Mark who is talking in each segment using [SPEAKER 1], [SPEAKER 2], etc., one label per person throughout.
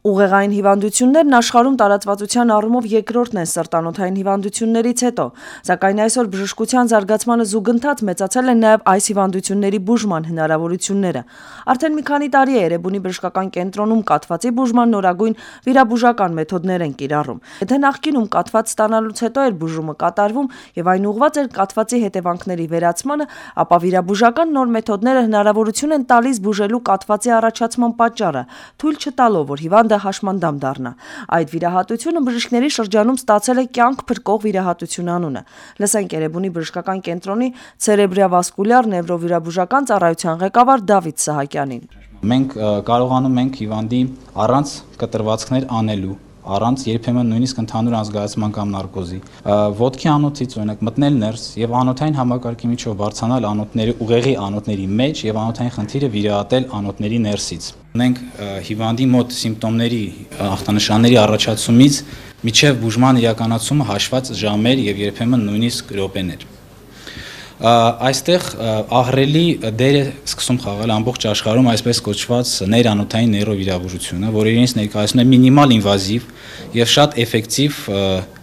[SPEAKER 1] Ուղեղային հիվանդություններն աշխարհում տարածվածության առումով երկրորդն են սրտանոթային հիվանդություններից հետո, սակայն այսօր բժշկության զարգացմանը զուգընթաց մեծացել են նաև այս հիվանդությունների բուժման հնարավորությունները։ Արդեն մի քանի տարի է Էրեբունի բժշկական կենտրոնում կաթվածի բուժման նորագույն վիրաբուժական մեթոդներ են կիրառում։ Եթե նախկինում կաթված ստանալուց հետո էր բուժումը կատարվում եւ այն ուղղված էր կաթվածի հետևանքների վերացմանը, ապա վիրաբուժական նոր մեթոդները հնարավորություն են տալիս բուժելու կաթվածի առաջացման պատճառը, թույլ չտալով, որ հիվանդը հաշմանդամ դառնա։ Այդ վիրահատությունը բժիշկների շրջանում ստացել է կյանք փրկող վիրահատություն անունը։ Լսենք Էրեբունի բժշկական կենտրոնի ցերեբրավասկուլյար նևրովիրաբուժական ծառայության ղեկավար Դավիթ Սահակյանին։
[SPEAKER 2] Մենք կարողանում ենք հիվանդի առանց կտրվածքներ անելու, առանց երբեմն նույնիսկ ընդհանուր անզգայացման կամ նարկոզի, ոտքի անոթից օրինակ մտնել ներս եւ անոթային համակարգի միջով բարձրանալ անոթների ուղեղի անոթների մեջ եւ անոթային խնդիրը վիրահատել անոթների ներսից։ Ունենք հիվանդի մոտ սիմպտոմների ախտանշանների առաջացումից միջև բուժման իրականացումը հաշված ժամեր եւ երբեմն նույնիսկ րոպեներ։ Այստեղ ահռելի դեր է սկսում խաղալ ամբողջ աշխարհում այսպես կոչված ներանոթային նեյրովիրաբուժությունը, որը իրենից ներկայացնում է մինիմալ ինվազիվ եւ շատ էֆեկտիվ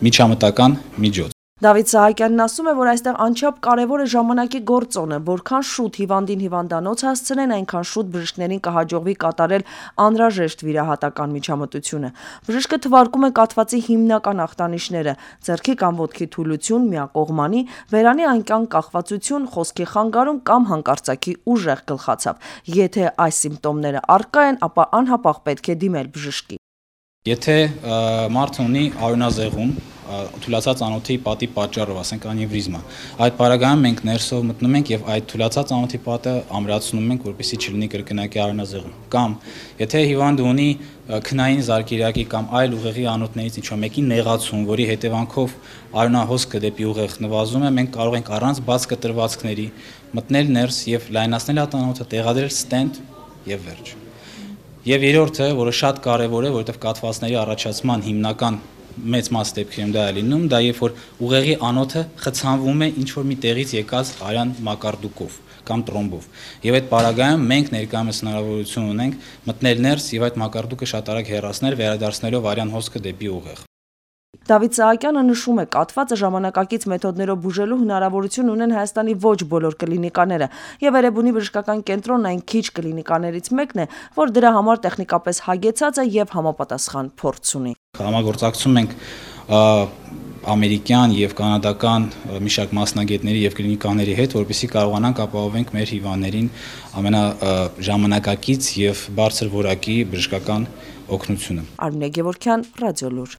[SPEAKER 2] միջամտական միջոց։
[SPEAKER 1] Դավիթ Սահակյանն ասում է, որ այստեղ անչափ կարևոր է ժամանակի գործոնը, որքան շուտ հիվանդին հիվանդանոց հասցնեն, այնքան շուտ բժիշկներին կհաջողվի կատարել անհրաժեշտ վիրահատական միջամտությունը։ Բժիշկը թվարկում է կաթվածի հիմնական ախտանիշները՝ ձեռքի կամ ոտքի թուլություն, միակողմանի, բերանի անկյան կախվածություն, խոսքի խանգարում կամ հանկարծակի ուժեղ գլխացավ։ Եթե այս սիմպտոմները առկա են, ապա անհապաղ պետք է դիմել բժշկի։
[SPEAKER 2] Եթե մարդը ունի արյունազեղում, թուլացած անոթի պատի պատճառով, ասենք անևրիզմա, այդ պարագայում մենք ներսով մտնում ենք եւ այդ թուլացած անոթի պատը ամրացնում ենք, որպեսզի չլինի կրկնակի արյունազեղում։ Կամ եթե հիվանդը ունի քնային զարկերակի կամ այլ ուղեղի անոթներից ինչ-որ մեկի նեղացում, որի հետևանքով արյունահոսքը դեպի ուղեղ նվազում է, մենք կարող ենք առանց բաց կտրվածքների մտնել ներս եւ լայնացնել այդ անոթը, տեղադրել ստենտ եւ վերջ։ Եվ երրորդը, որը շատ կարևոր է, որովհետև կաթվածների առաջացման հիմնական մեծ մաս դեպքերում դա է լինում, դա երբ որ ուղեղի անոթը խցանվում է ինչ-որ մի տեղից եկած արյան մակարդուկով կամ տրոմբով։ Եվ այդ պարագայում մենք ներկայումս հնարավորություն ունենք մտնել ներս եւ այդ մակարդուկը շատ արագ հեռացնել, վերադարձնելով արյան հոսքը դեպի ուղեղ։
[SPEAKER 1] Դավիթ Սահակյանը նշում է, կաթվածը ժամանակակից մեթոդներով բուժելու հնարավորություն ունեն Հայաստանի ոչ բոլոր կլինիկաները, եւ Էրեբունի բժշկական կենտրոնն այն քիչ կլինիկաներից մեկն է, որ դրա համար տեխնիկապես հագեցած է եւ համապատասխան փորձ ունի։
[SPEAKER 2] Համագործակցում ենք ամերիկյան եւ կանադական մի շարք մասնագետների եւ կլինիկաների հետ, որպեսզի կարողանանք ապահովենք մեր հիվանդներին ամենաժամանակակից եւ բարձր որակի բժշկական օգնությունը։
[SPEAKER 1] Արմինե Գևորգյան, Ռադիոլուր։